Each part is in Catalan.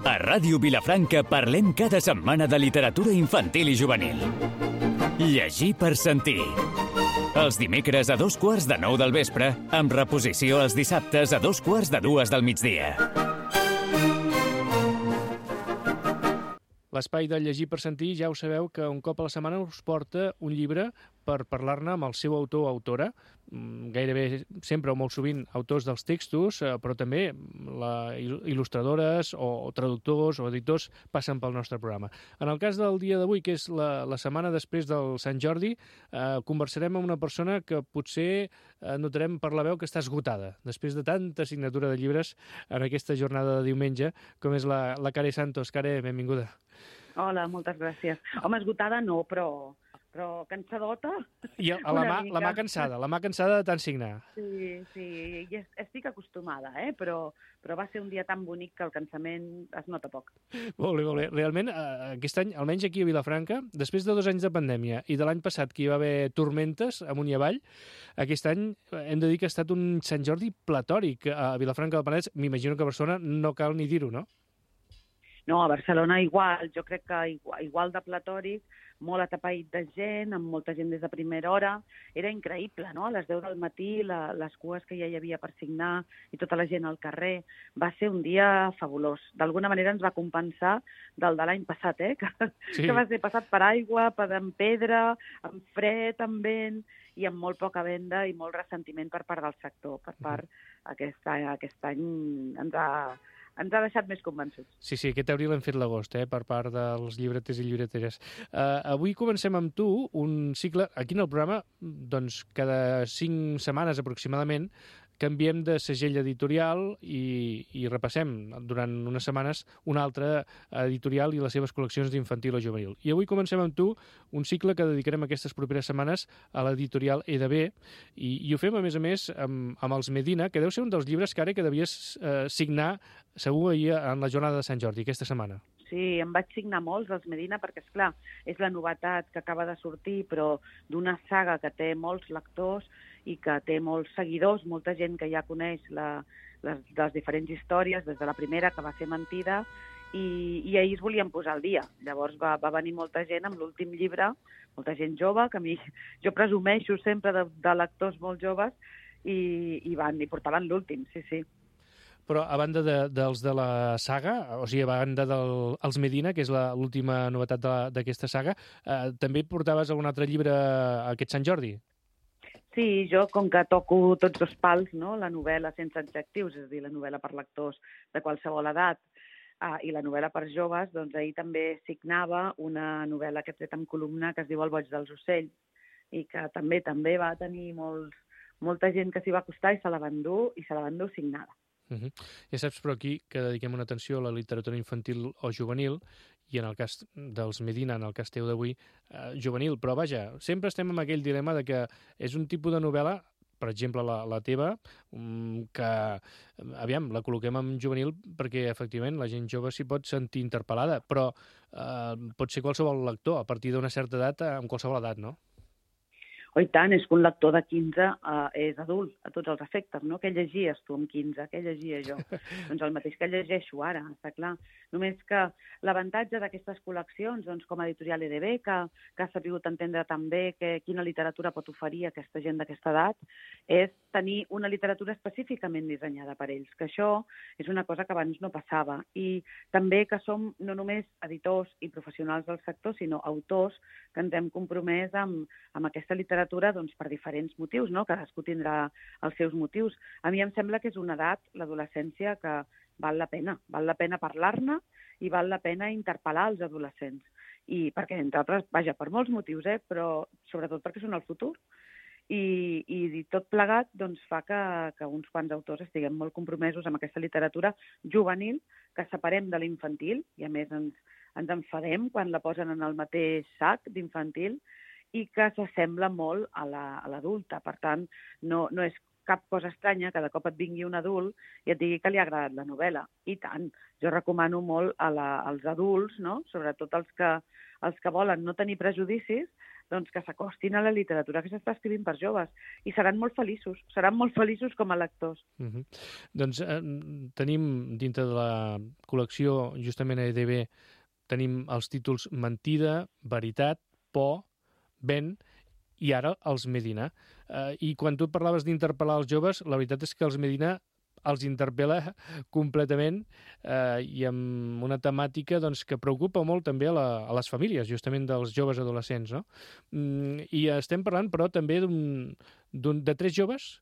A Ràdio Vilafranca parlem cada setmana de literatura infantil i juvenil. Llegir per sentir. Els dimecres a 2:15 del vespre, amb reposició els dissabtes a 2:45 del migdia. L'espai de Llegir per sentir, ja ho sabeu que un cop a la setmana us porta un llibre per parlar-ne amb el seu autor o autora, gairebé sempre o molt sovint autors dels textos, però també il·lustradores o traductors o editors passen pel nostre programa. En el cas del dia d'avui, que és la setmana després del Sant Jordi, conversarem amb una persona que potser notarem per la veu que està esgotada, després de tanta signatura de llibres en aquesta jornada de diumenge, com és la Care Santos. Care, benvinguda. Hola, moltes gràcies. Home, esgotada no, però cansadota. I la mà cansada de tant signar. Sí, i estic acostumada, però va ser un dia tan bonic que el cansament es nota poc. Molt bé. Realment, aquest any, almenys aquí a Vilafranca, després de 2 anys de pandèmia i de l'any passat que hi va haver tormentes amunt i avall, aquest any hem de dir que ha estat un Sant Jordi platòric a Vilafranca del Penedès. M'imagino que a Barcelona no cal ni dir-ho, no? No, a Barcelona igual, jo crec que igual de platòric, molt atapeït de gent, amb molta gent des de primera hora. Era increïble, no? A les 10 del matí, les cues que ja hi havia per signar i tota la gent al carrer. Va ser un dia fabulós. D'alguna manera ens va compensar del de l'any passat, que va ser passat per aigua, amb pedra, amb fred, amb vent, i amb molt poca venda i molt ressentiment per part del sector. Per part, aquest any ens ha deixat més convençuts. Sí, aquest abril hem fet l'agost, per part dels llibreters i llibreteres. Avui comencem amb tu un cicle, aquí en el programa, doncs cada 5 setmanes aproximadament, canviem de segell editorial i repassem durant unes setmanes un altre editorial i les seves col·leccions d'infantil o juvenil. I avui comencem amb tu un cicle que dedicarem aquestes properes setmanes a l'editorial EDB i ho fem, a més, amb els Medina, que deu ser un dels llibres que devies signar segur ahir en la jornada de Sant Jordi, aquesta setmana. Sí, em vaig signar molts dels Medina perquè, esclar, és la novetat que acaba de sortir, però d'una saga que té molts lectors i que té molts seguidors, molta gent que ja coneix les diferents històries, des de la primera, que va ser Mentida, i ahir es volien posar al dia. Llavors va venir molta gent amb l'últim llibre, molta gent jove, que jo presumeixo sempre de lectors molt joves, i portaven l'últim, sí. Però a banda dels de la saga, o sigui, a banda dels Medina, que és l'última novetat d'aquesta saga, també portaves algun altre llibre aquest Sant Jordi? Sí, jo, com que toco tots 2 pals, no? La novel·la sense adjectius, és a dir, la novel·la per lectors de qualsevol edat, i la novel·la per joves, doncs ahir també signava una novel·la que he tret amb columna que es diu El boig dels ocells, i que també va tenir molta gent que s'hi va acostar i se la van dur signada. Ja saps, però aquí que dediquem una atenció a la literatura infantil o juvenil, i en el cas dels Medina, en el cas teu d'avui, juvenil. Però vaja, sempre estem amb aquell dilema de que és un tipus de novel·la, per exemple la teva, que, aviam, la col·loquem en juvenil perquè, efectivament, la gent jove s'hi pot sentir interpel·lada, però pot ser qualsevol lector, a partir d'una certa edat, amb qualsevol edat, no? Oh, i tant, és que un lector de 15 és adult, a tots els efectes, no? Què llegies tu amb 15? Què llegia jo? Doncs el mateix que llegeixo ara, està clar. Només que l'avantatge d'aquestes col·leccions, doncs, com a editorial EDB, que ha sabut entendre també quina literatura pot oferir aquesta gent d'aquesta edat, és tenir una literatura específicament dissenyada per ells, que això és una cosa que abans no passava. I també que som no només editors i professionals del sector, sinó autors que ens hem compromès amb aquesta literatura doncs, per diferents motius, no? Cadascú tindrà els seus motius. A mi em sembla que és una edat, l'adolescència, que val la pena parlar-ne i val la pena interpel·lar els adolescents. I perquè, entre altres, vaja, per molts motius, però sobretot perquè són el futur. I tot plegat doncs, fa que uns quants autors estiguem molt compromesos amb aquesta literatura juvenil, que separem de l'infantil, i a més ens enfadem quan la posen en el mateix sac d'infantil, i que s'assembla molt a l'adulta. Per tant, no és cap cosa estranya que de cop et vingui un adult i et digui que li ha agradat la novel·la. I tant. Jo recomano molt als adults, no? Sobretot els que volen no tenir prejudicis, doncs, que s'acostin a la literatura que s'està escrivint per joves. I seran molt feliços com a lectors. Doncs tenim dintre de la col·lecció, justament a EDB, tenim els títols Mentida, Veritat, Por, Vent i ara els Medina. I quan tu parlaves d'interpel·lar els joves, la veritat és que els Medina els interpel·la completament i amb una temàtica doncs, que preocupa molt també a les famílies, justament dels joves adolescents. No? I estem parlant, però, també de 3 joves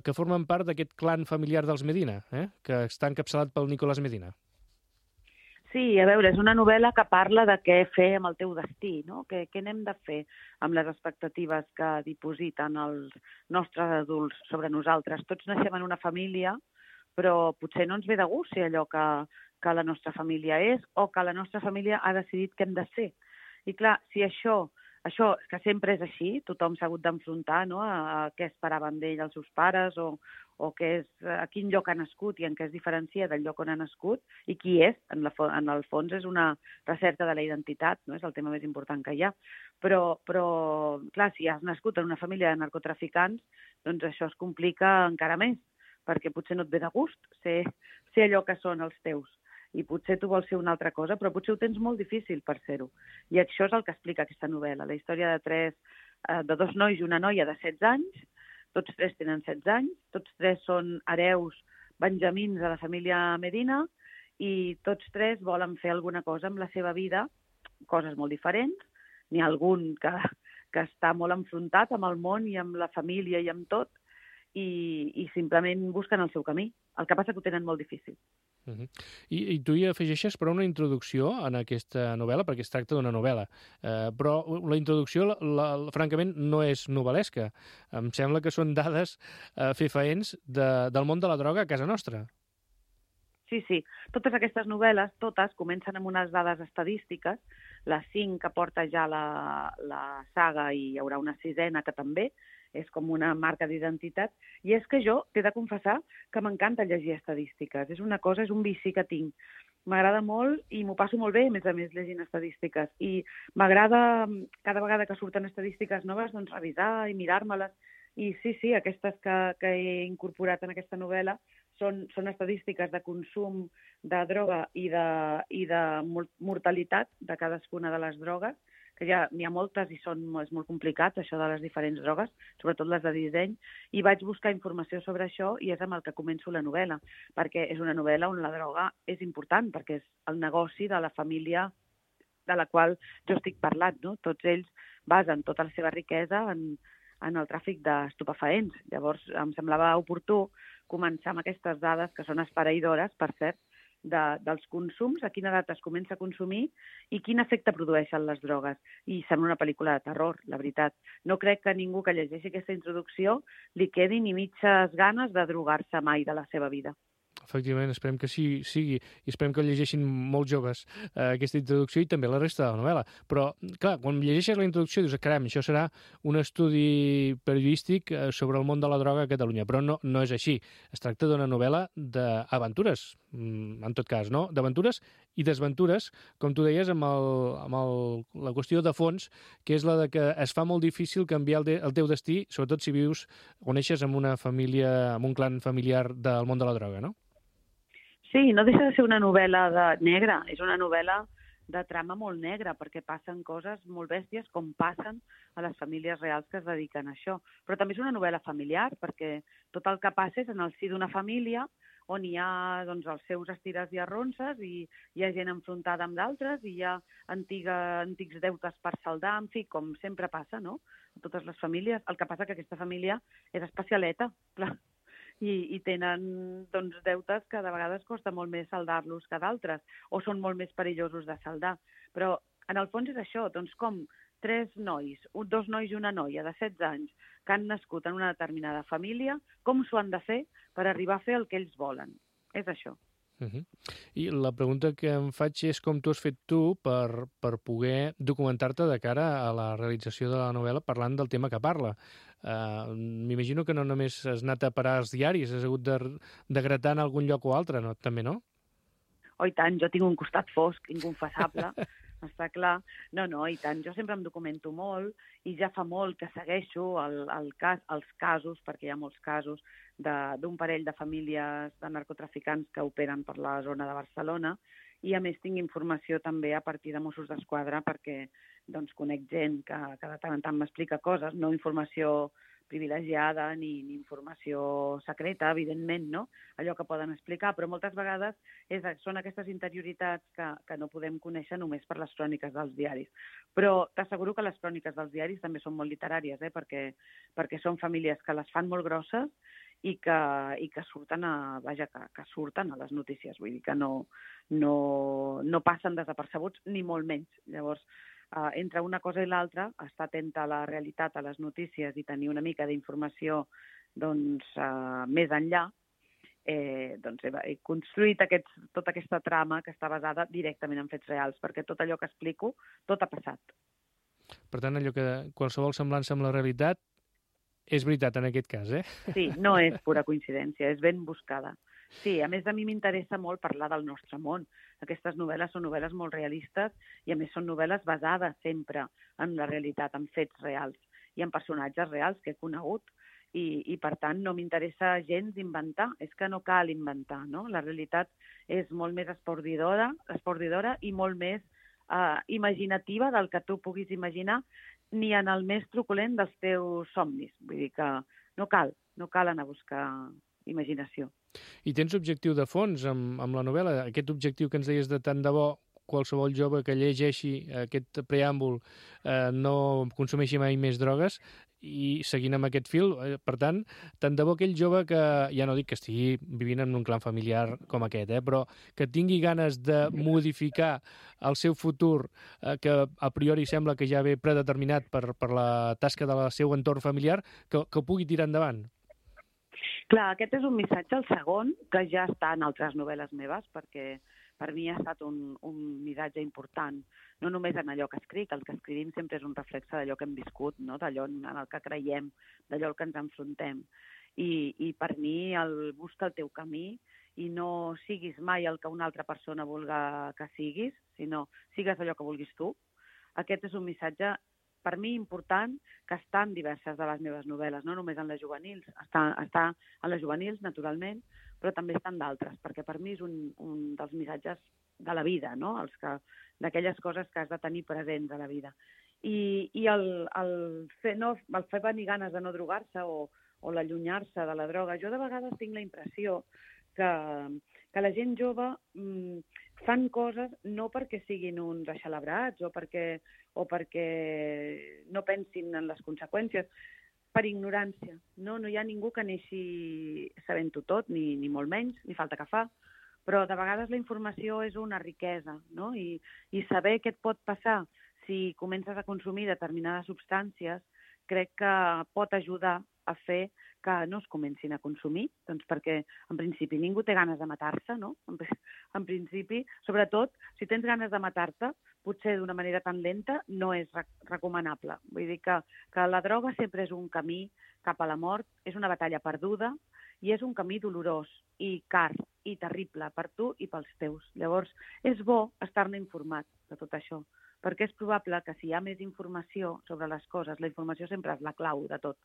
que formen part d'aquest clan familiar dels Medina, que està encapçalat pel Nicolás Medina. Sí, a veure, és una novel·la que parla de què fer amb el teu destí, no? Què n'hem de fer amb les expectatives que dipositen els nostres adults sobre nosaltres. Tots naixem en una família, però potser no ens ve de gust ser allò que la nostra família és o que la nostra família ha decidit que hem de ser. I clar, si això que sempre és així, tothom s'ha hagut d'enfrontar, no?, a què esperaven d'ell els seus pares o a quin lloc ha nascut i en què es diferencia del lloc on ha nascut i qui és, en el fons és una recerca de la identitat, no? És el tema més important que hi ha. Però clar, si has nascut en una família de narcotraficants, doncs això es complica encara més, perquè potser no et ve de gust ser allò que són els teus. I potser tu vols ser una altra cosa, però potser ho tens molt difícil per ser-ho. I això és el que explica aquesta novel·la, la història de 2 nois i una noia de 16 anys, tots 3 tenen 16 anys, tots 3 són hereus benjamins de la família Medina i tots 3 volen fer alguna cosa amb la seva vida, coses molt diferents. N'hi ha algun que està molt enfrontat amb el món i amb la família i amb tot, i simplement busquen el seu camí. El que passa que ho tenen molt difícil. I tu hi afegeixes però una introducció en aquesta novel·la, perquè es tracta d'una novel·la, però la introducció, francament, no és novel·lesca. Em sembla que són dades fefaents del món de la droga a casa nostra. Sí. Totes aquestes novel·les, totes, comencen amb unes dades estadístiques, les 5 que porta ja la saga i hi haurà una 6ena que també, és com una marca d'identitat, i és que jo t'he de confessar que m'encanta llegir estadístiques. És un vici que tinc. M'agrada molt i m'ho passo molt bé, a més, llegint estadístiques. I m'agrada, cada vegada que surten estadístiques noves, doncs revisar i mirar-me-les. I sí, aquestes que he incorporat en aquesta novel·la són estadístiques de consum de droga i de mortalitat de cadascuna de les drogues, que ja n'hi ha moltes i és molt complicat, això de les diferents drogues, sobretot les de disseny, i vaig buscar informació sobre això i és amb el que començo la novel·la, perquè és una novel·la on la droga és important, perquè és el negoci de la família de la qual jo estic parlant, no? Tots ells basen tota la seva riquesa en el tràfic d'estupefaents. Llavors, em semblava oportú començar amb aquestes dades, que són esfereïdores, per cert, dels consums, a quina edat es comença a consumir i quin efecte produeixen les drogues. I sembla una pel·lícula de terror, la veritat. No crec que ningú que llegeixi aquesta introducció li quedi ni mitges ganes de drogar-se mai de la seva vida. Efectivament, esperem que sigui, i esperem que llegeixin molts joves aquesta introducció i també la resta de la novel·la. Però, clar, quan llegeixes la introducció dius, caram, això serà un estudi periodístic sobre el món de la droga a Catalunya, però no és així. Es tracta d'una novel·la d'aventures, en tot cas, no? D'aventures i desventures, com tu deies, amb la qüestió de fons, que és la de que es fa molt difícil canviar el teu destí, sobretot si vius o neixes en una família, en un clan familiar del món de la droga, no? Sí, no deixa de ser una novel·la negra, és una novel·la de trama molt negra, perquè passen coses molt bèsties com passen a les famílies reals que es dediquen a això. Però també és una novel·la familiar, perquè tot el que passa és en el si d'una família on hi ha els seus estires i arronses i hi ha gent enfrontada amb d'altres i hi ha antics deutes per saldar, en fi, com sempre passa, no?, a totes les famílies. El que passa que aquesta família és especialeta, clar, i tenen deutes que de vegades costa molt més saldar-los que d'altres, o són molt més perillosos de saldar. Però en el fons és això, com 2 nois i una noia de 16 anys que han nascut en una determinada família, com s'ho han de fer per arribar a fer el que ells volen. És això. I la pregunta que em faig és com tu has fet tu per poder documentar-te de cara a la realització de la novel·la parlant del tema que parla. M'imagino que no només has anat a parar als diaris, has hagut de gratar en algun lloc o altre, no? També, no? Oh, i tant, jo tinc un costat fosc, inconfessable, està clar. No, i tant, jo sempre em documento molt i ja fa molt que segueixo els casos, perquè hi ha molts casos, d'un parell de famílies de narcotraficants que operen per la zona de Barcelona, i a més tinc informació també a partir de Mossos d'Esquadra perquè doncs, conec gent que de tant en tant m'explica coses, no informació privilegiada ni informació secreta, evidentment, no? Allò que poden explicar, però moltes vegades són aquestes interioritats que no podem conèixer només per les cròniques dels diaris. Però t'asseguro que les cròniques dels diaris també són molt literàries, perquè són famílies que les fan molt grosses i que surten que surten a les notícies, vull dir que no passen desapercebuts, ni molt menys. Llavors, entre una cosa i l'altra, estar atenta a la realitat, a les notícies i tenir una mica d'informació més enllà, he construït tota aquesta trama que està basada directament en fets reals, perquè tot allò que explico, tot ha passat. Per tant, allò que qualsevol semblança amb la realitat és veritat en aquest cas, eh? Sí, no és pura coincidència, és ben buscada. Sí, a més a mi m'interessa molt parlar del nostre món. Aquestes novel·les són novel·les molt realistes i a més són novel·les basades sempre en la realitat, en fets reals i en personatges reals que he conegut. I per tant no m'interessa gens inventar, és que no cal inventar, no? La realitat és molt més espordidora i molt més imaginativa del que tu puguis imaginar ni en el més truculent dels teus somnis. Vull dir que no cal anar a buscar imaginació. I tens objectiu de fons amb la novel·la? Aquest objectiu que ens deies de tant de bo qualsevol jove que llegeixi aquest preàmbul no consumeixi mai més drogues i seguint amb aquest fil, per tant, tant de bo aquell jove que, ja no dic que estigui vivint en un clan familiar com aquest, però que tingui ganes de modificar el seu futur, que a priori sembla que ja ve predeterminat per la tasca del seu entorn familiar, que ho pugui tirar endavant. Clar, aquest és un missatge, el segon, que ja està en altres novel·les meves, perquè per mi ha estat un missatge important, no només en allò que escric, el que escrivim sempre és un reflexe d'allò que hem viscut, no? D'allò en el que creiem, d'allò al que ens enfrontem. I per mi busca el teu camí i no siguis mai el que una altra persona vulga que siguis, sinó sigues allò que vulguis tu. Aquest és un missatge per mi important, que està en diverses de les meves novel·les, no només en les juvenils. Està en les juvenils, naturalment, però també està en d'altres, perquè per mi és un dels missatges de la vida, no? D'aquelles coses que has de tenir presents a la vida. I el fer venir ganes de no drogar-se o l'allunyar-se de la droga, jo de vegades tinc la impressió que la gent jove fan coses no perquè siguin uns aixelebrats o perquè no pensin en les conseqüències, per ignorància. No hi ha ningú que neixi sabent-ho tot, ni molt menys, ni falta que fa, però de vegades la informació és una riquesa, no? I saber què et pot passar si comences a consumir determinades substàncies crec que pot ajudar a fer que no es comencin a consumir, doncs perquè en principi ningú té ganes de matar-se, no? En principi, sobretot, si tens ganes de matar-te, potser d'una manera tan lenta no és recomanable. Vull dir que la droga sempre és un camí cap a la mort, és una batalla perduda i és un camí dolorós i car i terrible per tu i pels teus. Llavors, és bo estar-ne informat de tot això, perquè és probable que si hi ha més informació sobre les coses, la informació sempre és la clau de tot.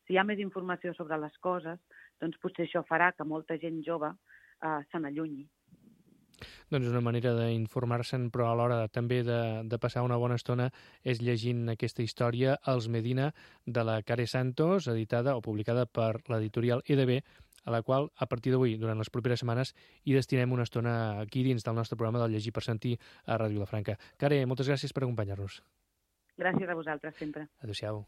Si hi ha més informació sobre les coses, doncs potser això farà que molta gent jove se n'allunyi. Doncs una manera d'informar-se'n, però alhora també de passar una bona estona és llegint aquesta història, Els Medina, de la Care Santos, editada o publicada per l'editorial EDB, a la qual, a partir d'avui, durant les properes setmanes, hi destinem una estona aquí dins del nostre programa del Llegir per Sentir a Ràdio Vilafranca. Care, moltes gràcies per acompanyar-nos. Gràcies a vosaltres, sempre. Adéu-siau.